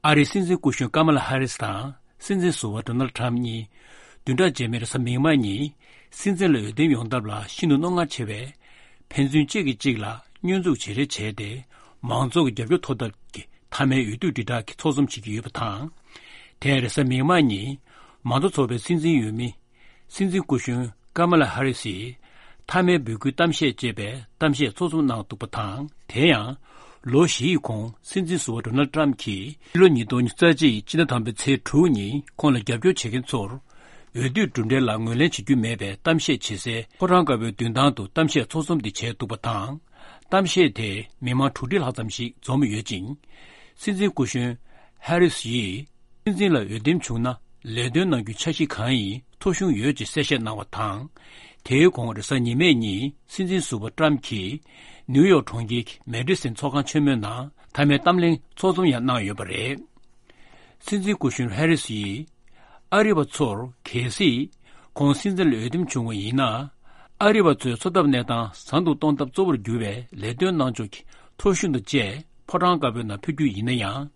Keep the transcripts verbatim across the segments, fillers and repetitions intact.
ཨ་རིའི་སྲིད་འཛིན་སྐུ་གཞོན་ཀ་མ་ལ་ཧ་རིས་དང་སྲིད་འཛིན་ཟུར་པ་ཌོ་ནལ་ཊམ་གཉིས་བདུན་ཕྲག་རྗེས་མའི་རེས་གཟའ་མིག་དམར་ཉིན་སྲིད་འཛིན་ལ་འོས་འདེམས་ཡོང་ཐབས་ལ་ཤིན་ཏུ་རྣོ་ངར་ཆེ་བས། ཕན་ཚུན་གཅིག་གིས་གཅིག་ལ་བསྙོན་འཛུགས་བྱེད་རེས་བྱས་ཏེ། མང་ཚོགས་ཀྱི་རྒྱབ་སྐྱོར་ཐོབ་ཐབས་ཀྱི་མཐའ་མའི་འོས་བསྡུ་དྲིལ་བསྒྲགས་ཀྱི་ཚོགས་འཛོམས་བྱེད་ཀྱི་ཡོད་པ་དང་། དེ་རེས་གཟའ་མིག་དམར་ཉིན་མང་གཙོ་ཚོགས་པའི་སྲིད་འཛིན་འོས་མི་སྲིད་འཛིན་སྐུ་གཞོན་ཀ་མ་ལ་ཧ་རི་སིས་མཐའ་མའི་འབོད་སྐུལ་གཏམ་བཤད་ཅེས་པའི་གཏམ་བཤད་ཚོགས་འཛོམས་གནང་འདུག་པ་དང་། དེ་ཡང་ལོ་བཞི་ཡི་གོང་སྲིད་འཛིན་ཟུར་པ་ཌོ་ནལ་ཊམ་གྱིས་ཕྱི་ལོ་ཉིས་སྟོང་ཉེར་གཅིག་ཕྱི་ཟླ་དང་པོའི་ཚེས་དྲུག་ཉིན་ཁོང་ལ་རྒྱབ་སྐྱོར་བྱེད་མཁན་ཚོར་འོས་བསྡུའི་གྲུབ་འབྲས་ལ་ངོས་ལེན་བྱེད་རྒྱུ་མེད་པའི་གཏམ་བཤད་བྱེད་སའི་ཕོ་བྲང་དཀར་པོའི་མདུན་ཐང་དུ་གཏམ་བཤད་ཚོགས་འཛོམས་འདི་བྱས་འདུག་པ་དང་། གཏམ་བཤད་དེར་མི་མང་དྲུག་ཁྲི་ལྷག་ཙམ་ཞིག་འཛོམས་ཡོད་ཅིང་། སྲིད་འཛིན་སྐུ་གཞོན་ཧེ་རིས་ཡིས། སྲིད་འཛིན་ལ་འོས་འདེམས་བྱུང་ན་ལས་དོན་གནང་རྒྱུའི་འཆར་གཞི་གང་ཡིན་ཐོ་གཞུང་ཡོད་ཅེས་གསལ་བཤད་གནང་བ་དང་། དེའི་གོང་རེས་གཟའ་ཉི་མའི་ཉིན་སྲིད་འཛིན་ཟུར་པ་ཊམ་གྱིས་ནིའུ་ཡོག་གྲོང་ཁྱེར་གྱི་མེ་ཌི་སན་ཚོགས་ཁང་ཆེན་མོའི་ནང་མཐའ་མའི་གཏམ་གླེང་ཚོགས་འཛོམས་ཡང་གནང་ཡོད་པ་རེད། སྲིད་འཛིན་སྐུ་གཞོན་ཧེ་རིས་ཡིས་ཨ་རི་བ་ཚོར་གལ་སྲིད་ཁོང་སྲིད་འཛིན་ལ་འོས་འདེམས་བྱུང་བ་ཡིན་ན། ཨ་རི་བ་ཚོའི་འཚོ་ཐབས་གནས་སྟངས་བཟང་དུ་གཏོང་ཐབས་གཙོ་བོར་གྱུར་བའི་ལས་དོན་གནང་ཕྱོགས་ཀྱི་ཐོ་གཞུང་དང་བཅས་ཕོ་བྲང་དཀར་པོའི་ནང་ཕུལ་རྒྱུ་ཡིན་ན་ཡང་།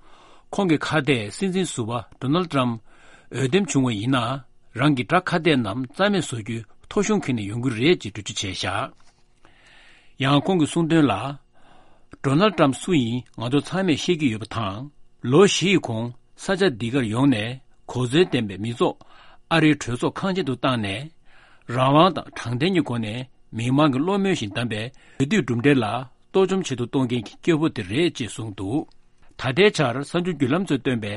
ཁོང་གི་ཁ་གཏད་སྲིད་འཛིན་ཟུར་པ་ཌོ་ནལ་ཊམ་འོས་འདེམས་བྱུང་བ་ཡིན་ན། རང་གི་དགྲ་ཁ་གཏད་རྣམས་རྩ་མེད་བཟོ་རྒྱུའི་ཐོ་གཞུང་འཁྱེར་ནས་ཡོང་གི་རེད་ཅེས་འགྲེལ་བརྗོད་བྱས་བཞག་ཡང་ཁོང་གིས་གསུངས་དོན་ལ། ཌོ་ནལ་ཊམ་སུ་ཡིན་ང་ཚོ་ཚང་མས་ཤེས་ཀྱི་ཡོད་པ་དང་། ལོ་བཞི་ཡི་གོང་ས་ཆ་འདི་གར་ཡོང་ནས་གོ་མཚོན་ལྡན་པའི་མི་ཚོགས་ཨ་རིའི་གྲོས་ཚོགས་ཁང་ཆེན་དུ་བཏང་ནས། རང་དབང་དང་དྲང་བདེན་གྱི་སྒོ་ནས་མི་མང་གི་བློ་མོས་བཞིན་བདམས་པའི་འོས་བསྡུའི་གྲུབ་འབྲས་ལ་གཏོར་བཅོམ་བྱེད་དུ་གཏོང་མཁན་གྱི་སྐྱེ་བོ་དེ་རེད་ཅེས་གསུངས་འདུག་ད་ལྟའི་ཆར་གསར་འགྱུར་བརྒྱུད་ལམ་ཚོས་བཏོན་པའི་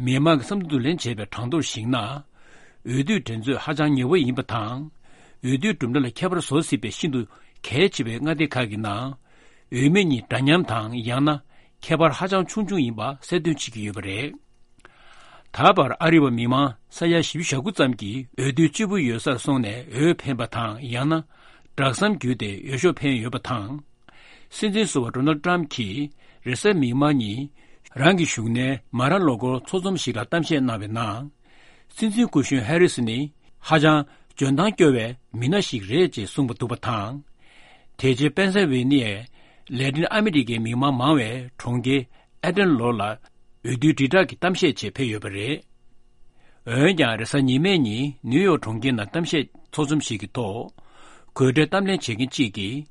མི་མང་གི་བསམ་ཚུལ་བསྡུ་ལེན་བྱས་པའི་གྲངས་ཐོར་གཞིགས་ན། འོས་བསྡུའི་འགྲན་རྩོད་ཧ་ཅང་ཉེ་བོ་ཡིན་པ་དང་། འོས་བསྡུའི་གྲུབ་འབྲས་ལ་ཁྱད་པར་བཟོ་སྲིད་པའི་ཤིན་ཏུ་གལ་ཆེ་བའི་མངའ་སྡེ་ཁག་གི་ནང་། འོས་མི་གཉིས་འདྲ་མཉམ་དང་ཡང་ན་ཁྱད་པར་ཧ་ཅང་ཆུང་ཆུང་ཡིན་པ་གསལ་སྟོན་བྱེད་ཀྱི་ཡོད་པ་རེད། ད་བར་ཨ་རི་བ་མི་མང་ས་ཡ་བཞི་བཅུ་ཞེ་དགུ་ཙམ་གྱིས་འོས་བསྡུའི་སྤྱིལ་བུ་ཡོད་སར་སོང་ནས་འོས་འཕེན་པ་དང་ཡང་ན་སྦྲག་ཟམ་བརྒྱུད་དེ་འོས་ཤོག་འཕེན་ཡོད་པ་དང་། སྲིད་འཛིན་ཟུར་པ་ཌོ་ནལ་ཊམ་གྱིས་རེས་གཟའ་མིག་དམར་ཉིན་རང་གི་བཞུགས་གནས་མ་ར་ལོ་གོར་ཚོགས་འཛོམས་ཤིག་ལ་གཏམ་བཤད་གནང་བའི་ནང་། སྲིད་འཛིན་སྐུ་གཞོན་ཧེ་རི་སི་ནི་ཧ་ཅང་འཇོན་ཐང་སྐྱོ་བའི་མི་སྣ་ཞིག་རེད་ཅེས་གསུངས་པ་འདུག་པ་དང་། དེ་རྗེས་པེན་སེལ་ཝེ་ནི་ཡའི་ལེ་ཏིན་ཨ་མི་རི་ཀའི་མི་མང་མང་བའི་གྲོང་ཁྱེར་ཨེ་ཏན་ལོར་ལ་འོས་བསྡུའི་དྲིལ་བསྒྲགས་ཀྱི་གཏམ་བཤད་ཆེད་ཕེབས་ཡོད་པ་རེད། འོན་ཀྱང་རེས་གཟའ་ཉི་མའི་ཉིན་ནིའུ་ཡོག་གྲོང་ཁྱེར་ནང་གཏམ་བཤད་ཚོགས་འཛོམས་ཤིག་གི་ཐོག་གོ་སྒྲིག་གཏམ་གླེང་བྱེད་མཁན་གཅིག་གིས།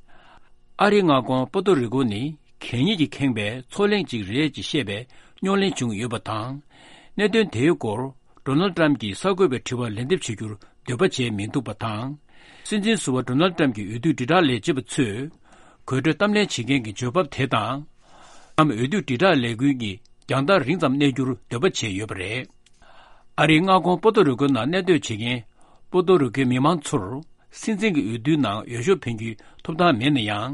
ཨ་རིའི་མངའ་ཁོངས་པོ་ཏོ་རི་ཀོ་ནི་གད་སྙིགས་ཀྱིས་ཁེངས་པའི་མཚོ་གླིང་ཅིག་རེད་ཅེས་བཤད་པའི་རྙོག་གླེང་བྱུང་ཡོད་པ་དང་། གནད་དོན་དེའི་སྐོར་ཌོ་ནལ་ཏྲམ་གྱིས་གསར་འགོད་པའི་དྲི་བར་ལན་འདེབས་བྱེད་རྒྱུར་འདོད་པ་བྱས་མི་འདུག་པ་དང་། སྲིད་འཛིན་ཟུར་པ་ཌོ་ནལ་ཏྲམ་གྱི་འོས་བསྡུ་དྲིལ་བསྒྲགས་ལས་བྱེད་པ་ཚོས་གོ་སྒྲིག་གཏམ་གླེང་བྱེད་མཁན་གྱི་འཇོན་ཕབ་དེ་དང་། ནམ་འོས་བསྡུ་དྲིལ་བསྒྲགས་ལས་འགུལ་གྱི་རྒྱང་ཐག་རིང་ཙམ་གནས་རྒྱུར་འདོད་པ་བྱས་ཡོད་པ་རེད། ཨ་རིའི་མངའ་ཁོངས་པོ་ཏོ་རི་ཀོ་ནང་གནས་སྡོད་བྱེད་མཁན་པོ་ཏོ་རི་ཀོའི་མི་མང་ཚོར་སྲིད་འཛིན་གྱི་འོས་བསྡུའི་ནང་འོས་ཤོག་འཕེན་རྒྱུའི་ཐོབ་ཐང་མེད་ན་ཡང་།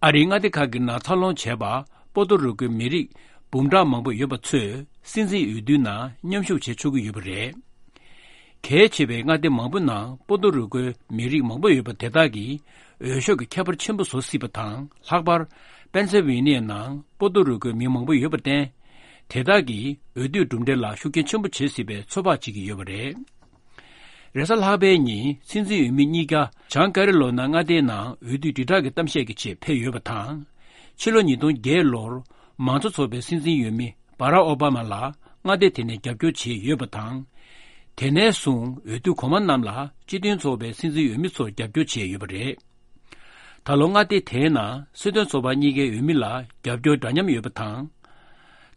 ཨ་རིའི་མངའ་སྡེ་ཁག་གི་ནང་འཚར་ལོངས་བྱས་པ་པོ་ཏོ་རི་ཀོའི་མི་རིགས་འབུམ་ཕྲག་མང་པོ་ཡོད་པ་ཚོས་སྲིད་འཛིན་འོས་བསྡུའི་ནང་མཉམ་ཞུགས་བྱེད་ཆོག་གི་ཡོད་པ་རེད། གལ་ཆེ་བའི་མངའ་སྡེ་མང་པོ་ནང་པོ་ཏོ་རི་ཀོའི་མི་རིགས་མང་པོ་ཡོད་པ་དེ་དག་གིས་འོས་ཤོག་གི་ཁྱད་པར་ཆེན་པོ་བཟོ་སྲིད་པ་དང་། ལྷག་པར་པེན་སེལ་ཝེ་ནི་ཡའི་ནང་པོ་ཏོ་རི་ཀོའི་མི་མང་པོ་ཡོད་པར་བརྟེན། དེ་དག་གིས་འོས་བསྡུའི་གྲུབ་འབྲས་ལ་ཤུགས་རྐྱེན་ཆེན་པོ་བྱེད་སྲིད་པའི་ཚོད་དཔག་བྱེད་ཀྱི་ཡོད་པ་རེད། རེས་གཟའ་ལྷག་པའི་ཉིན་སྲིད་འཛིན་འོས་མི་གཉིས་ཀ་བྱང་ཀ་རི་ལོ་ན་མངའ་སྡེའི་ནང་འོས་བསྡུའི་དྲིལ་བསྒྲགས་ཀྱི་གཏམ་བཤད་ཀྱི་ཆེད་ཕེབས་ཡོད་པ་དང་། ཕྱི་ལོ་ཉིས་སྟོང་བརྒྱད་ལོར་མང་གཙོ་ཚོགས་པའི་སྲིད་འཛིན་འོས་མི་སྦ་རག་ཨོ་བྷ་མ་ལ་མངའ་སྡེ་དེ་ནས་རྒྱབ་སྐྱོར་བྱས་ཡོད་པ་དང་། དེ་ནས་བཟུང་འོས་བསྡུ་གོང་མ་རྣམས་ལ་སྤྱི་མཐུན་ཚོགས་པའི་སྲིད་འཛིན་འོས་མི་ཚོར་རྒྱབ་སྐྱོར་བྱས་ཡོད་པ་རེད། ད་ལོ་མངའ་སྡེ་དེའི་ནང་སྲིད་དོན་ཚོགས་པ་གཉིས་ཀའི་འོས་མི་ལ་རྒྱབ་སྐྱོར་འདྲ་མཉམ་ཡོད་པ་དང་།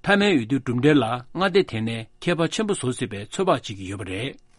མཐའ་མའི་འོས་བསྡུའི་གྲུབ་འབྲས་ལ་མངའ་སྡེ་དེ་ནས་ཁྱད་པར་ཆེན་པོ་བཟོ་སྲིད་པའི་ཚོད་དཔག་བྱེད་ཀྱི་ཡོད་པ་རེད།